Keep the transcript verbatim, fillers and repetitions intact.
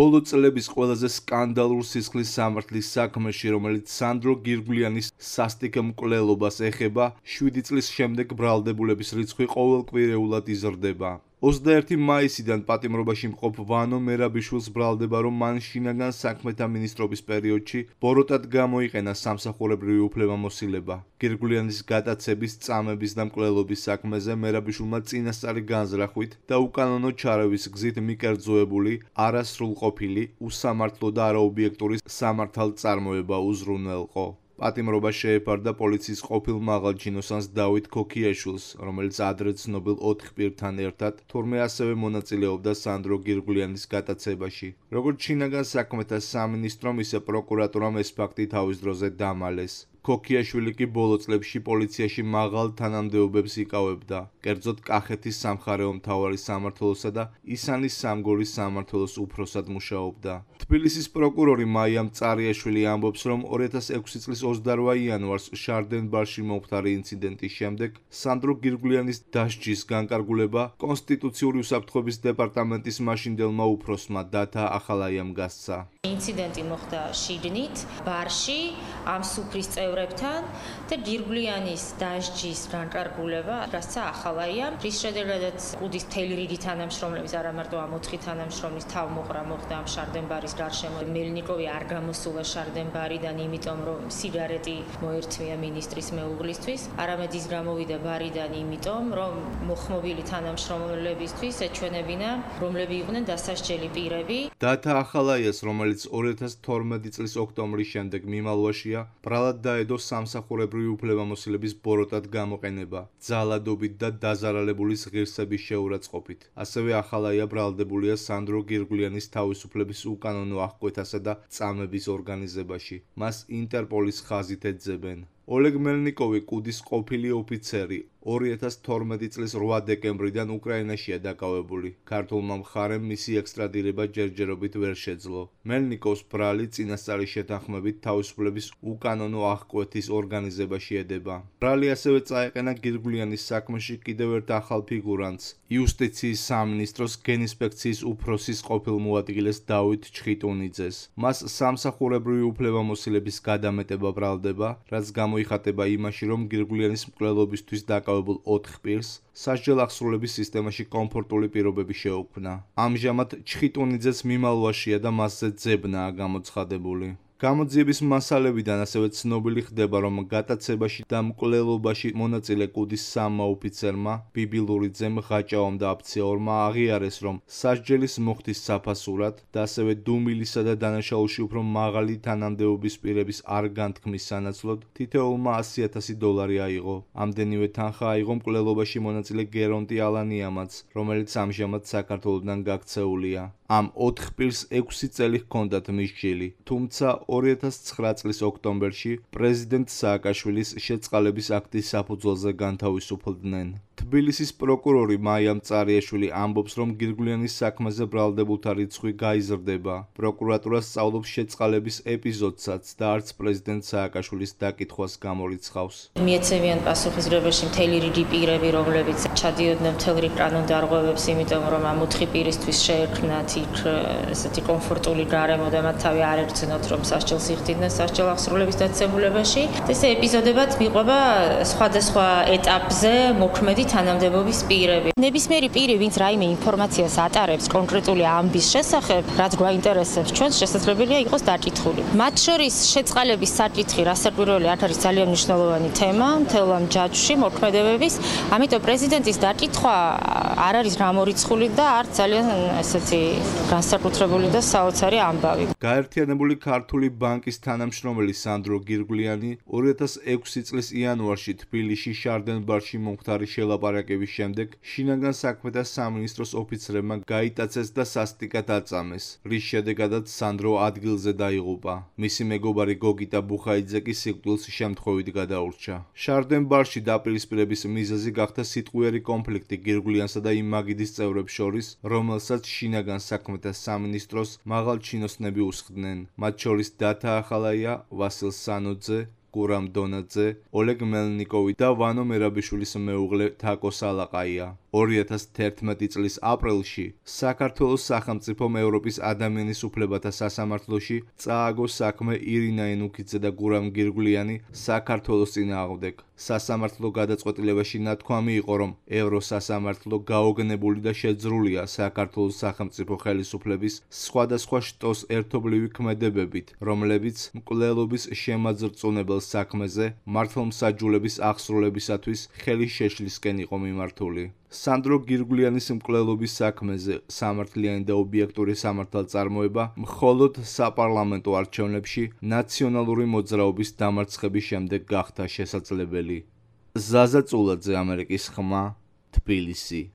ბოლო წლების ყველაზე სკანდალურ სისხლის სამართლის საქმეში, რომელიც სანდრო გირგვლიანის სასტიკ მკვლელობას ეხება, შვიდი წლის შემდეგ ბრალდებულების რიცხვი ყოველკვირეულად იზრდება. ოცდაერთი მაისიდან პატიმრობაში მყოფ ვანო მერაბიშვილს ბრალდება, რომ მან შინაგან საქმეთა მინისტრობის პერიოდში ბოროტად გამოიყენა სამსახურებრივი უფლებამოსილება. გირგვლიანის გატაცების, წამების და მკვლელობის საქმეზე მერაბიშვილმა წინასწარი განზრახვით და უკანონო ჩარევის გზით მიკერძოებული, არასრულყოფილი, უსამართლო და არაობიექტური სამართალწარმოება უზრუნველყო. პატიმრობა შეეფარდა პოლიციის ყოფილ მაღალჩინოსანს დავით ქოქიაშვილს, რომელიც ადრე ცნობილ ოთხ პირთან ერთად, თურმე ასევე მონაწილეობდა სანდრო გირგვლიანის გატაცებაში. როგორც შინაგან საქმეთა სამინისტრომ, ისე პროკურატურამ ეს ფაქტი თავის დროზე დამალეს. ქოქიაშვილი კი ბოლო წლებში პოლიციაში მაღალ თანამდებობებს იკავებდა, კერძოდ კახეთის სამხარეო მთავარის სამმართველოსა და ისანის სამგორის სამმართველოს უფროსად მუშაობდა. თბილისის პროკურორი მაია მწარიაშვილი ამბობს, რომ ორი ათას ექვსი წლის ოცდაოთხ იანვარს შარდენბარში მომხდარი ინციდენტის შემდეგ სანდრო გირგვლიანის დასჯის განკარგულება კონსტიტუციური უსაფრთხოების დეპარტამენტის მაშინდელმა უფროსმა დათა ახალაიამ გასცა. ინციდენტი მოხდა შიგნით, ბარში, ამ სუფრის წევრებთან და გირგვლიანის დასჯის განკარგულება გასცა ახალაიამ, რის შედეგადაც კუდის მთელი რიგი თანამშრომლების, არა მარტო ამ ოთხი თანამშრომლის თავმოყრა მოხდა ამ შარდენბარის გარშემო. მელნიკოვი არ გამოსულა შარდენბარიდან, იმიტომ რომ სიგარეტი მოერთმია მინისტრის მეუღლისთვის, არამედ ის გამოვიდა ბარიდან, იმიტომ რომ მოხმობილი თანამშრომლებისთვის ეჩვენებინა, რომლები იყვნენ დასასჯელი პირები. დათა ახალაიას, რომელიც ორი ათას თორმეტი წლის ოქტომბრის შემდეგ მიმალვაშია, ბრალად დაედო სამსახურებრივი უფლებამოსილების ბოროტად გამოყენება, ძალადობით და დაზარალებულის ღირსების შეურაცხყოფით. ასევე ახალაია ბრალდებულია სანდრო გირგვლიანის თავისუფლების უკანონო აღკვეთასა და წამების ორგანიზებაში. მას ინტერპოლის ხაზით ეძებენ. ოლეგ მელნიკოვი, კუდის ყოფილი ოფიცერი, ორი ათას თორმეტი წლის რვა დეკემბრიდან უკრაინაშია დაკავებული. ქართულმა მხარემ მისი ექსტრადირება ჯერჯერობით ვერ შეძლო. მელნიკოვს ბრალი წინასწარი შეთანხმებით თავისუფლების უკანონო აღკვეთის ორგანიზებაში ედება. ბრალი ასევე წაეყენა გირგვლიანის საქმეში კიდევ ერთ ახალ ფიგურანტს, იუსტიციის სამინისტროს გენინსპექციის უფროსის ყოფილ მოადგილეს დავით ჩხიტუნიძეს. მას სამსახურებრივი უფლებამოსილების გადამეტება ბრალდება, რაც გამოიხატება იმაში, რომ გირგვლიანის მკვლელობისთვის დაკავებულ ოთხ პირს სასჯელ აღსრულების სისტემაში კომფორტული პირობები შეუქმნა. ამჟამად ჩხიტუნიძეს მიმალვაშია და მასზე ძებნაა გამოცხადებული. გამოძიების მასალებიდან ასევე ცნობილი ხდება, რომ გატაცებაში და მკვლელობაში მონაწილე კუდის სამმა ოფიცერმა, ბიბილურიძემ, ღაჭაომ და აფციაურმა აღიარეს, რომ სასჯელის მოხდის საფასურად და ასევე დუმილისა და დანაშაულში უფრო მაღალი თანამდებობის პირების არ განთქმის სანაცვლოდ თითოეულმა ასი ათასი დოლარი აიღო. ამდენივე თანხა აიღო მკვლელობაში მონაწილე გერონტი ალანიამაც, რომელიც ამჟამად საქართველოდან გაქცეულია. ამ ოთხ პირს ექვსი წელი ჰქონდათ მისჯილი, თუმცა ორი ათას ცხრა წლის ოქტომბერში პრეზიდენტ სააკაშვილის შეწყალების აქტის საფუძველზე განთავისუფლდნენ. თბილისის პროკურორი მაია მწარიაშვილი ამბობს, რომ გირგვლიანის საქმეზე ბრალდებულთა რიცხვი გაიზრდება. პროკურატურა სწავლობს შეწყალების ეპიზოდსაც და არც პრეზიდენტ სააკაშვილის დაკითხვას გამორიცხავს. მიეცემიან პასუხისმგებლობაში მთელი რიგი პირები, რომლებიც ჩადიოდნენ მთელ რიგ კანონდარღვევებს, იმიტომ რომ ამ ოთხი პირისთვის შეექმნათ იქ ესეთი კომფორტული გარემო და მათ თავი არ ერჩნოთ, რომ სასჯელს იხდიდნენ სასჯელ აღსრულების დაწესებულებაში. ესე ეპიზოდებად მიყვება სხვადასხვა ეტაპზე მოქმედი თანამდებობის პირები. ნებისმიერი პირი, ვინც რაიმე ინფორმაციას ატარებს კონკრეტული ამბის შესახებ, რაც გვაინტერესებს ჩვენს, შესაძლებელია იყოს დაკითხული. მათ შორის შეწყალების საკითხი, რასაკვირველი არ არის ძალიან მნიშვნელოვანი თემა მთელ ამ ჯაჭვში მოქმედებების, ამიტომ პრეზიდენტის დაკითხვა არ არის გამორიცხული და არც ძალიან ესეთი განსაკუთრებული და საოცარი ამბავი. გაერთიანებული ქართული ბანკის თანამშრომელი სანდრო გირგვლიანი ორი ათას ექვსი წლის იანვარში თბილისში შარდენბარში მომხდარი შელაპარაკების შემდეგ შინაგან საქმეთა სამინისტროს ოფიცრებმა გაიტაცეს და სასტიკად აწამეს, რის შედეგადაც სანდრო ადგილზე დაიღუპა. მისი მეგობარი გოგიტა ბუხაიძე კი სიკვდილს შემთხვევით გადაურჩა. შარდენბარში დაპირისპირების მიზეზი გახდა სიტყვიერი კონფლიქტი გირგვლიანსა და იმ მაგიდის წევრებს შორის, რომელსაც შინაგან საქმეთა სამინისტროს მაღალჩინოსნები უსხდნენ. მათ შორის დათა ახალაია, ვასილ სანოძე, გურამ დონაძე, ოლეგ მელნიკოვი და ვანო მერაბიშვილის მეუღლე თაკო სალაყაია. ორი ათას თერთმეტი წლის აპრილში საქართველოს სახელმწიფომ ევროპის ადამიანის უფლებათა სასამართლოში წააგო საქმე ირინა ენუქიძე და გურამ გირგვლიანი საქართველოს წინააღმდეგ. სასამართლო გადაწყვეტილებაში ნათქვამი იყო, რომ ევროსასამართლო გაოგნებული და შეძრულია საქართველოს სახელმწიფო ხელისუფლების სხვადასხვა შტოს ერთობლივი ქმედებებით, რომლებიც მკვლელობის შემაძრწუნებელ საქმეზე მართლმსაჯულების ახსრულებისათვის ხელის შეშლისკენ იყო მიმართული. სანდრო გირგვლიანის მკვლელობის საქმეზე სამართლიანი და ობიექტური სამართალწარმოება მხოლოდ საპარლამენტო არჩევნებში ნაციონალური მოძრაობის დამარცხების შემდეგ გახდა შესაძლებელი. ზაზა წულაძე, ამერიკის ხმა, თბილისი.